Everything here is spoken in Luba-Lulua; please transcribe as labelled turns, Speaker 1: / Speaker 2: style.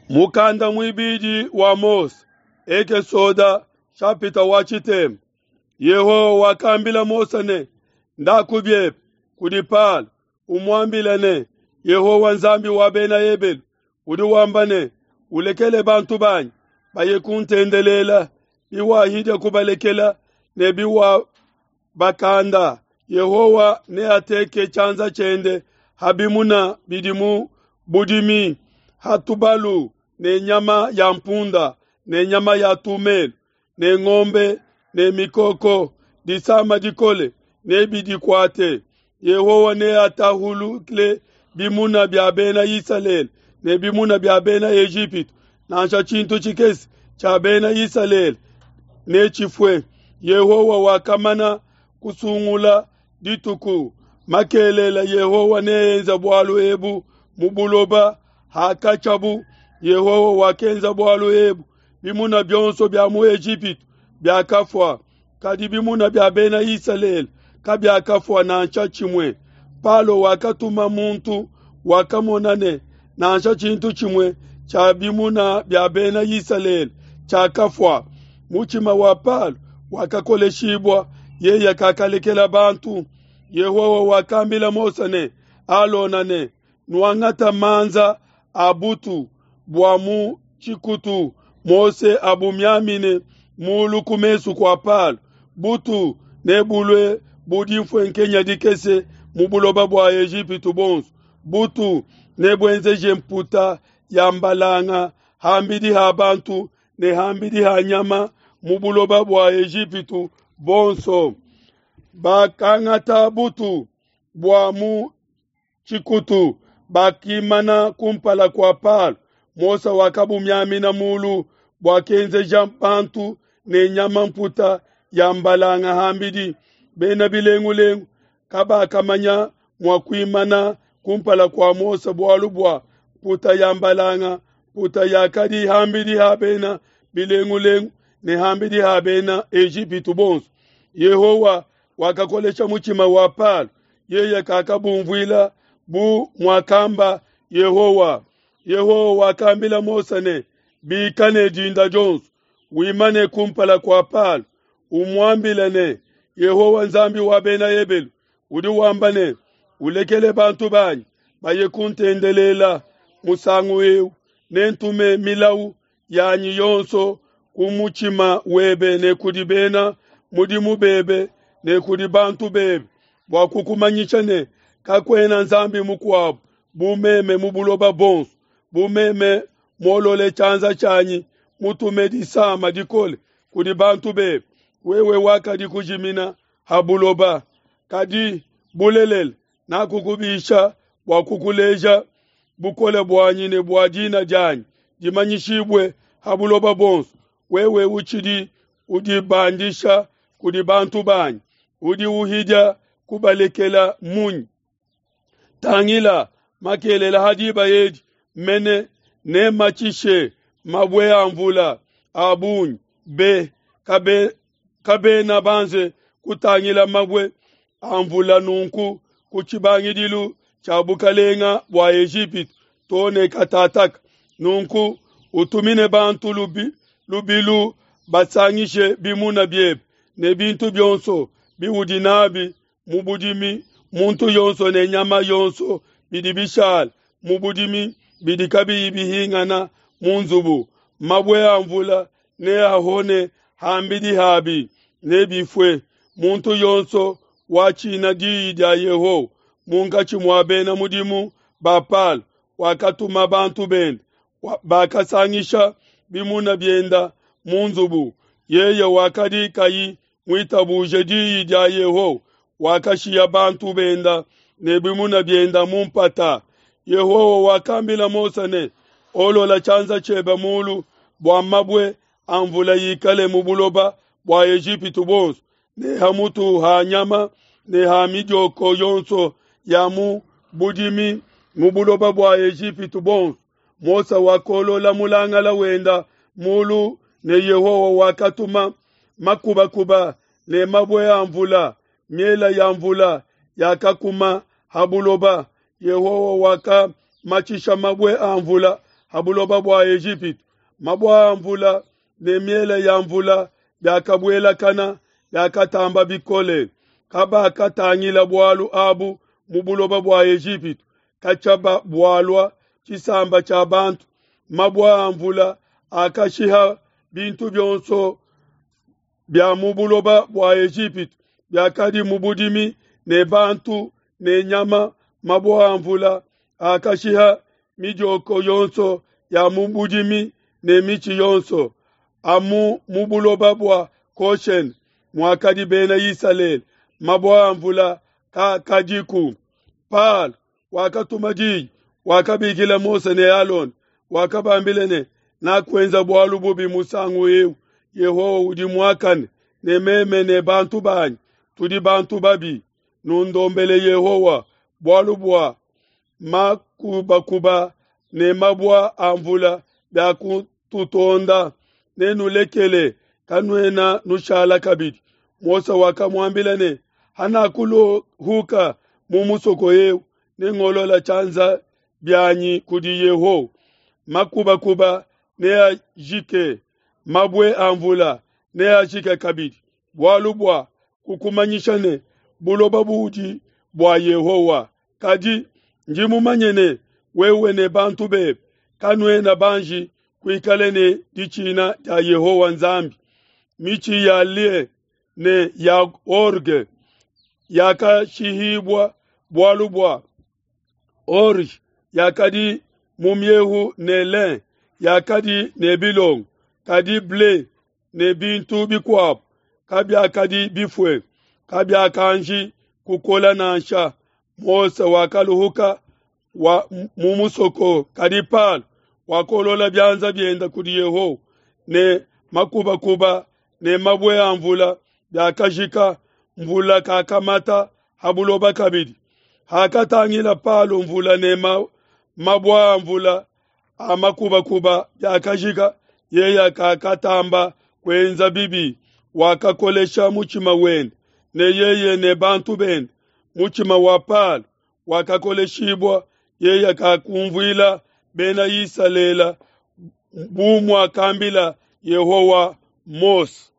Speaker 1: Mukanda muibidi wa Mose, Ekesoda shapita wa tshitema. Yehowa wakambila Mose ne, Ndaku biebe kudi Palo, umuambile ne, Yehowa Nzambi wa bena Ebelu udi wamba ne, ulekele bantu banyi baye kuntendelela, biwahidia kubalekela ne biwabakanda, Yehowa neateke tshianza tshiende ha bimuna bidi mu budimi, ha tubalu ne nyama ya mpunda ne nyama ya tumelu ne ngombe ne mikoko, disama dikole nebidikuate. Yehowa neatahulule bimuna bia bena Isalele ne bimuna bia bena Ejipitu, nansha tshintu tshikese tshia bena Isalele netshifue. Yehowa wakamana kusungula dituku makelela Yehowa neenze bualu ebu mu buloba hakatshiabu. Yehowa wakenza bualu ebu, bimuna bionso bia mu Ejipitu biakafua, kadi bimuna bia bena Isalele kabiakafua nansha tshimue. Palo wakatuma muntu wakamona ne nansha tshintu tshimue tshia bimuna bia bena Isalele tshiakafua. Mutshima wa Palo wakakoleshibua, yeye kakalekela bantu. Yehowa wakambila Mose ne Alona ne, nuangata manza a butu bua mu tshikutu Mose abumiamine mulu ku mesu kua Palo. Butu nebulue bu dimfuenkenya dikese mu buloba bua Ejipitu buonso. Butu nebuenzeje mputa ya mbalanga ham'bidi ha bantu ne ham'bidi ha nyama mu buloba bua Ejipitu buonso. Bakangata butu bua mu tshikutu, bakimana kumpala kua Palo. Mose wakabumiamina mulu buakenzeja bantu ne nyama mputa ya mbalanga ham'bidi. Bena bilengulengu kabakamanya mua kuimana kumpala kua Mose bualu bua mputa ya mbalanga, mputa yakadi ham'bidi ha bena bilengulengu ne ham'bidi ha bena Ejipitu bonso. Yehowa wakakolesha mutshima wa Palo, yeye kakabumvuila bu muakamba Yehowa. Yehowa wakambila Mose ne, bika ne dinda dionso, wimane kumpala kua Palo, umuambile ne, Yehowa Nzambi wa bena Ebelu udi wamba ne, ulekele bantu banyi baye kuntendelela. Musangu eu nentume milawu yanyi yonso ku mutshima webe ne kudi bena mudimu bebe ne kudi bantu bebe, bua kukumanyisha ne, kakuena Nzambi mukuabu bu meme mu buloba buonso. Bu meme muolole tshianza tshianyi mutume disama dikole kudi bantu bebe, wewe wakadi kujimina ha buloba. Kadi bulelela nakukubisha bua kukuleja bukole buanyi ne bua dina dianyi dimanyishibue ha buloba buonso. Wewe utshidi udibandisha kudi bantu banyi, udi uhidia kubalekela munyi? Tangila, makelela ha diba edi mene nematshishe mabue a mvula a bungi be, kabena banze kutangila mabue a mvula nunku ku tshibangidilu tshia bukalenga bua Ejipitu to ne katataka. Nunku utumine bantu lubilu basangishe bimuna biebe ne bintu bionso biudi nabi mu budimi, muntu yonso ne nyama yonso bidi bishala mu budimi bidi kabiyi bihingana mu nzubu. Mabue a mvula neahone ham'bidi habi, nebifue. Muntu yonso watshina diyi dia Yehowa munkatshi mua bena mudimu ba Palo wakatuma bantu bende, bakasangisha bimuna bienda mu nzubu. Yeye wakadi kayi muitabuje diyi dia Yehowa wakashiya bantu benda ne bimuna bienda mu mpata. Yehowa wakambila Mose ne, olola tshianza tshiebe mulu bua mabue a mvula ikale mu buloba bua Ejipitu buonso, ne ha mutu ha nyama ne ha midioko yonso ya mu budimi mu buloba bua Ejipitu buonso. Mose wakolola mulangala wenda mulu ne Yehowa wakatuma makubakuba ne mabue a mvula, miela ya mvula yakakuma ha buloba. Yehowa wakamatshisha mabue a mvula. ha buloba bua Ejipitu. Mabue a mvula ne miele ya mvula biakabuelakana, biakatamba bikole. Kabakatangila bualu abu mu buloba bua Ejipitu katshia bualua tshisamba tshia bantu. Mabue a mvula akashiha bintu bionso bia mu buloba bua Ejipitu biakadi mu budimi ne bantu ne nyama. Mabue a mvula akashiha midioko yonso ya mu budimi ne mitshi yonso amu mu buloba bua Goshene muakadi bena Isalele. Mabue a mvula kaakadiku. Palo wakatuma diyi, wakabikila Mose ne Alona, wakabambila ne, Nakuenza bualu bubi musangu eu. Yehowa udi muakane, ne meme ne bantu banyi tudi bantu babi. Nundombele Yehowa bualu bua makubakuba ne mabue a mvula biakututonda. Nenulekele, kanuena nushala kabidi. Mose wakamuambila ne, Hanakuluhuka mu musoko eu, nengolola tshianza bianyi kudi Yehowa. Makubakuba neajike, mabue a mvula neajike kabidi, bualu bua kukumanyisha ne, buloba budi bua Yehowa. Kadi ndi mumanye ne, wewe ne bantu bebe kanuena banji kuikala ne ditshina dia Yehowa Nzambi. Mitshi ya lin ne ya orge yakashihibua bualu bua orge yakadi mu miehu ne lin yakadi ne bilongo, kadi ble ne bintu bikuabo kabiakadi bifue, kabiakanji kukola nansha. Mose wakaluhuka wa mu musoko, kadi Palo wakolola bianza biende kudi Yehowa, ne makubakuba ne mabue a mvula biakajika, mvula kakamata ha buloba kabidi. Hakatangila Palo mvula ne mabue a mvula a makubakuba biakajika, yeye kakatamba kuenza bibi, wakakolesha mutshima wende, ne yeye ne bantu bende. Mutshima wa Palo wakakoleshibua, yeye kakumvuila bena Isalele bu muakambila Yehowa Mose.